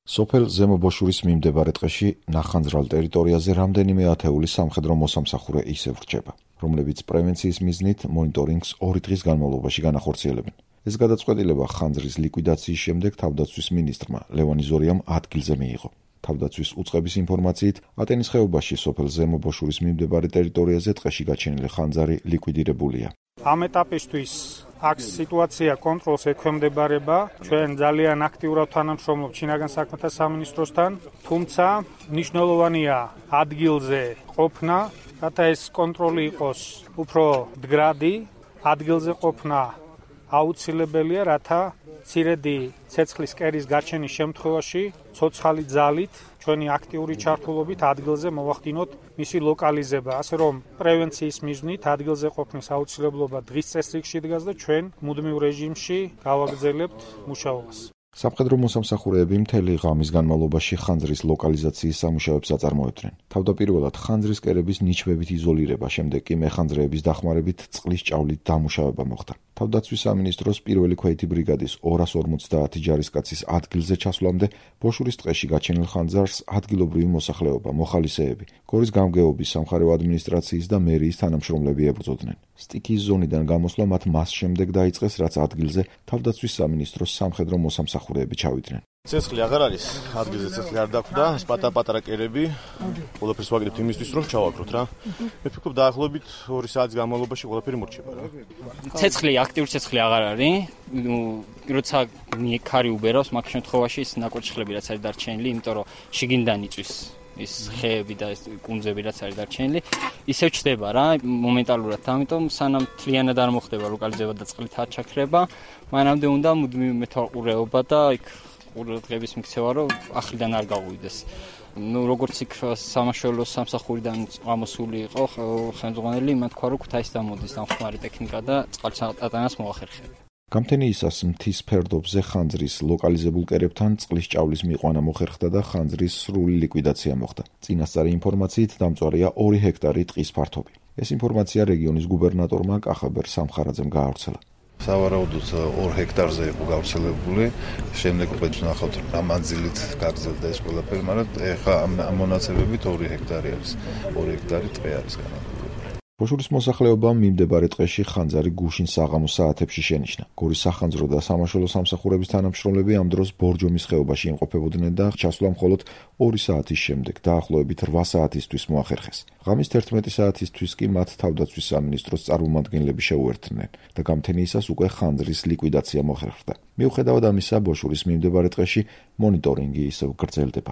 სოფელ ზემო ბოშურის მიმდებარე ტყეში ნახანძრალ ტერიტორიაზე რამდენიმე ათეული სამხედრო მოსამსახურე ისევ რჩება, რომლებიც პრევენციის მიზნით მონიტორინგს 2 დღის განმავლობაში განახორციელებენ. ეს გადაწყვეტილება ხანძრის ლიკვიდაციის შემდეგ თავდაცვის მინისტრმა ლევან იზორიამ ადგილზე მიიღო. თავდაცვის უწყების ინფორმაციით, ატენის ხეობაში სოფელ ზემო ბოშურის მიმდებარე ტერიტორიაზე ტყეში გაჩენილი ხანძარი ლიკვიდირებულია. ამ ეტაპისთვის აქ სიტუაცია კონტროლს ექვემდებარება. ჩვენ ძალიან აქტიურად თანამშრომლობთ შინაგან საქმეთა სამინისტროსთან, თუმცა მნიშვნელოვანია ადგილზე ყოფნა, რათა ეს კონტროლი იყოს უფრო მდგრადი, ადგილზე ყოფნა აუცილებელია, რათა მცირედი ცეცხლის კერის გაჩენის შემთხვევაში ცოცხალი ძალით ჩვენი აქტიური ჩართულობით ადგილზე მოვახდინოთ მისი ლოკალიზება, ასე რომ პრევენციის მიზნით ადგილზე ყოფნის აუცილებლობა დღის წესრიგში დგას და ჩვენ მუდმივ რეჟიმში გავაგრძელებთ მუშაობას. სამხედრო მოსამსახურეები მთელი ღამის განმავლობაში ხანძრის ლოკალიზაციის სამუშაოებს აწარმოებდნენ. თავდაპირველად ხანძრის კერების ნიჩბებით იზოლირება, შემდეგ კი მეხანძრეების დახმარებით წყლის ჭავლით დამუშავება მოხდა. თავდაცვის სამინისტროს პირველი ქვეითი ბრიგადის 250 ჯარისკაცის ადგილზე ჩასვლამდე ბოშურის ტყეში გაჩენილ ხანძარს ადგილობრივი მოსახლეობა, მოხალისეები, გორის გამგეობის, სამხარეო ადმინისტრაციის და მერიის თანამშრომლები ებრძოდნენ. სტიქიის ზონიდან გამოსვლა მათ მას შემდეგ დაიწყეს, რაც ადგილზე თავდაცვის სამინისტროს სამხედრო მოსამსახურეები ჩავიდნენ. ცეცხლი აღარ არის, ადგილზე ცეცხლი არ დაგვდა, ეს პატარ-პატარა კერები, ყველაფერს ვაკეთებთ იმისთვის, რომ ჩავაგროთ რა. მე ფიქრობ დაახლოებით 2 საათის განმავლობაში ყველაფერი მორჩება რა. ცეცხლი, აქტიური ცეცხლი აღარ არის. როცა ქარი უბერავს, მაგ შემთხვევაში ის ნაკურთხლები რაც არის დარჩენილი, იმიტომ რომ შიგნიდან იწვის ის ხეები და ეს კუნძები რაც არის დარჩენილი, ისევ ჩდება რა მომენტალურად, ამიტომ სანამ თლიანად არ მოხდება ლოკალიზება და წყლით არ ჩაქრება, მანამდე უნდა მუდმივი მეთვალყურეობა და იქ ყურადღების მიქცევა, რომ ახლიდან არ გაუვიდეს. როგორც იქ სამაშველო სამსახურიდან ამოსული იყო ხელმძღვანელი, მან თქვა, რომ ქუთაისს დამოდის დამხმარე ტექნიკა და წყალს ატანას მოახერხებია. გამთენიისას მთის ფერდობზე ხანძრის ლოკალიზებულ კერებთან წყლის ჭავლის მიყვანა მოხერხდა და ხანძრის სრული ლიკვიდაცია მოხდა. წინასწარი ინფორმაციით დამწვარია 2 ჰექტარი ტყის ფართობი. ეს ინფორმაცია რეგიონის გუბერნატორმა კახაბერ სამხარაძემ გაავრცელა. სავარაუდოდ 2 ჰექტარზე იყო გავრცელებული, შემდეგ უკვე ვნახავთ რა მანძილით გაგრძელდა ეს ყველაფერი, მაგრამ ეხლა ამ მონაცემებით 2 ჰექტარი არის, 2 ჰექტარი ტყე არის განადგურებული. ბოშურის მოსახლეობამ მიმდებარე ტყეში ხანძარი გუშინ საღამოს საათებში შენიშნა. გორის სახანძრო და სამაშველო სამსახურების თანამშრომლები ამ დროს ბორჯომის ხეობაში იმყოფებოდნენ და ჩასვლა მხოლოდ 2 საათის შემდეგ, დაახლოებით 8 საათისთვის მოახერხეს. ღამის 11 საათისთვის კი მათ თავდაცვის სამინისტროს წარმომადგენლები შეუერთდნენ და გამთენიისას უკვე ხანძრის ლიკვიდაცია მოხერხდა. მიუხედავად ამისა, ბოშურის მიმდებარე ტყეში მონიტორინგი ისევ გრძელდება.